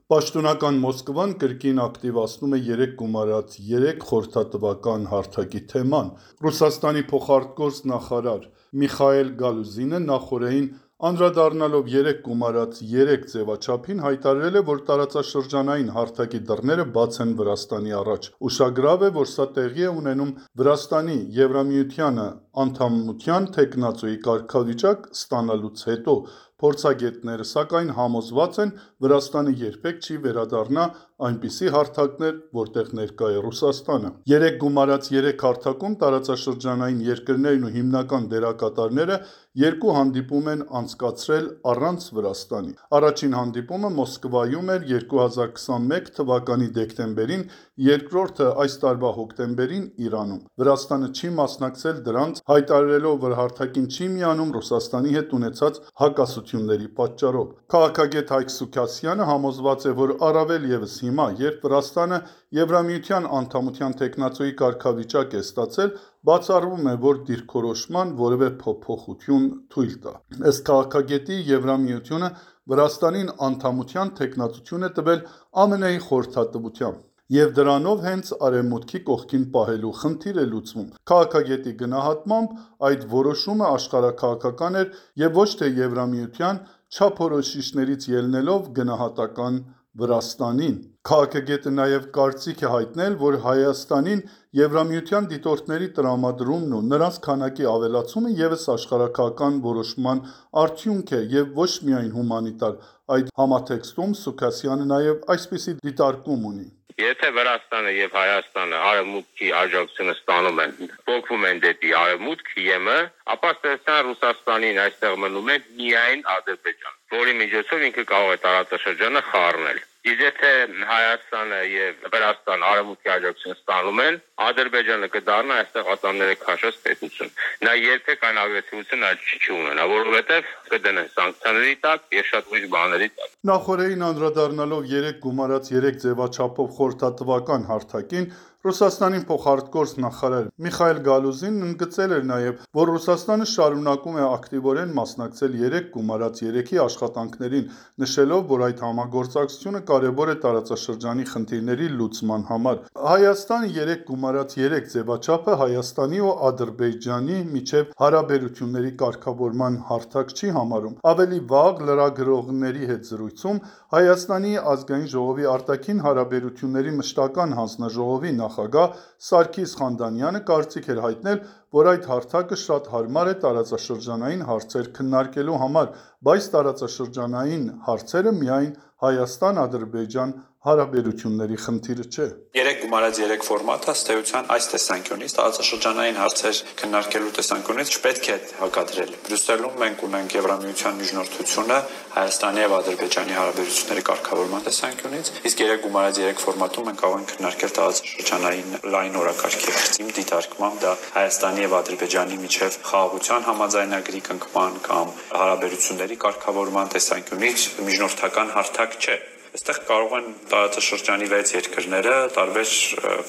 Պաշտոնական Մոսկվան կրկին ակտիվացնում է 3+3 խորհրդատվական հարթակի թեման։ Ռուսաստանի փոխարտգործ նախարար Միխայել Գալուզինը նախօրեին անդրադառնալով 3+3 ձևաչափին հայտարարել է, որ տարածաշրջանային հարթակի դռները բաց են Վրաստանի առաջ։ Ուշագրավ է, որ սա տեղի է ունենում Վրաստանի Եվրամիության անդամության թեկնածուի կարգավիճակ ստանալուց հետո։ Փորձագետները, սակայն, համոզված են, Վրաստանը երբեք չի վերադառնա այնպիսի հարթակներ, որտեղ ներկա է Ռուսաստանը։ 3+3 հարթակում տարածաշրջանային երկրներն ու հիմնական դերակատարները երկու հանդիպում են անցկացրել առանց Վրաստանի։ Առաջին հանդիպումը Մոսկվայում էր 2021 թվականի դեկտեմբերին, երկրորդը այս տարվա հոկտեմբերին Իրանում։ Վրաստանը չի մասնակցել դրանց, հայտարարելով, որ հարթակին չի միանում Ռուսաստանի հետ ունեցած հակասությունների պատճառով։ Քաղաքագետ Հայկ Սուքասյանը համոզված է, որ առավել ևս հիմա, երբ Վրաստանը Եվրամիության անդամության թեկնածուի կարգավիճակ է ստացել, բացառվում է, որ դիրքորոշման որևէ փոփոխություն թույլ տա։ Ըստ քաղաքագետի, Եվրամիությունը Վրաստանին անդամության թեկնածություն է տվել ԱՄՆ-ի խորհրդատվությամբ, և դրանով հենց Արևմուտքի կողքին պահելու խնդիր է լուծվում։ Քաղաքագետի գնահատմամբ, այդ որոշումը աշխարհաքաղաքական էր և ոչ թե Եվրամիության չափորոշիչներից ելնելով գնահատական Վրաստանին։ Քաղաքագետը նաև կարծիք է հայտնել, որ Հայաստանին Եվրամիության դիտորդների տրամադրումն ու նրանց քանակի ավելացումը ևս աշխարհաքաղաքական որոշման արդյունք է և ոչ միայն հումանիտար։ Այդ համատեքստում Սուքասյանը նաև այսպիսի դիտարկում ունի. Եթե Վրաստանը եւ Հայաստանը արևմուտքի աջակցությունը ստանում են, փոխվում են դեպի արևմուտք ԵՄ, ապա ստեսան Ռուսաստանին այստեղ մնում է միայն Ադրբեջան, որի միջոցով ինքը կարող է տարածաշրջանը խառնել։ Իսկ եթե Հայաստանը եւ Վրաստանը արևմուտքի աջակցությունը ստանում են, Ադրբեջանը կդառնա այստեղ ատամները քաշած պետություն։ Նա երբեք այն ագրեսիվությունը չի ունենա, որովհետեւ կդնեն սանկցիաների տակ եւ շատ ուրիշ բաների տակ։ Նախորդին անդրադառնալով 3+3 ձևաչափով խորհրդատվական հարթակին, Ռուսաստանի փոխարտգործ նախարար Միխայել Գալուզինն ընդգծել էր նաև, որ Ռուսաստանը շարունակում է ակտիվորեն մասնակցել 3+3-ի աշխատանքներին, նշելով, որ այդ համագործակցությունը կարևոր է տարածաշրջանի խնդիրների լուծման համար։ Հայաստանը 3+3 ձևաչափը Հայաստանի ու Ադրբեջանի միջև հարաբերությունների կարգավորման հարթակ չի համարում։ Ավելի վաղ լրագրողների հետ զրույցում Հայաստանի ազգային ժողովի արտաքին հարաբերությունների մշտական հանձնաժողովի նախագահ Սարգիս Խանդանյանը կարծիք էր հայտնել, որ այդ հարթակը շատ հարմար է տարածաշրջանային հարցեր քննարկելու համար, բայց տարածաշրջանային հարցերը միայն Հայաստան-Ադրբեջան հարաբերությունների խնդիրը չէ։ 3+3 ֆորմատը ըստ էության այս տեսանկյունից տարածաշրջանային հարցեր քննարկելու տեսանկյունից չպետք է հակադրել։ Բրյուսելում մենք ունենք Եվրամիության միջնորդությունը Հայաստանի եւ Ադրբեջանի հարաբերությունների կարգավորման տեսանկյունից, իսկ 3+3 ֆորմատում մենք կարող ենք քննարկել տարածաշրջանային լայն օրակարգի հարց։ Իմ դիտարկմամբ դա Հայաստանի եւ Ադրբեջանի միջև խաղաղության համաձայնագրի կնքման կամ հարաբերությունների կարգավորման տեսանկյունից միջնորդական հարթակ չէ։ Այստեղ կարող են տարածաշրջանի 6 երկրները տարբեր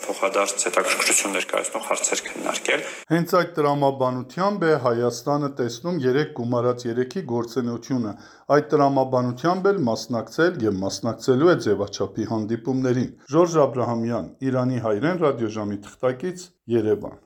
փոխադարձ հետաքրքրություն ներկայացնող հարցեր քննարկել։ Հենց այդ տրամաբանությամբ է Հայաստանը տեսնում 3+3-ի գործունեությունը։ Այդ տրամաբանությամբ էլ մասնակցել եւ մասնակցելու է ձևաչափի հանդիպումներին։ Ժորժ Աբրահամյան, Իրանի հայրեն ռադիոժամի թղթակից, Երևան։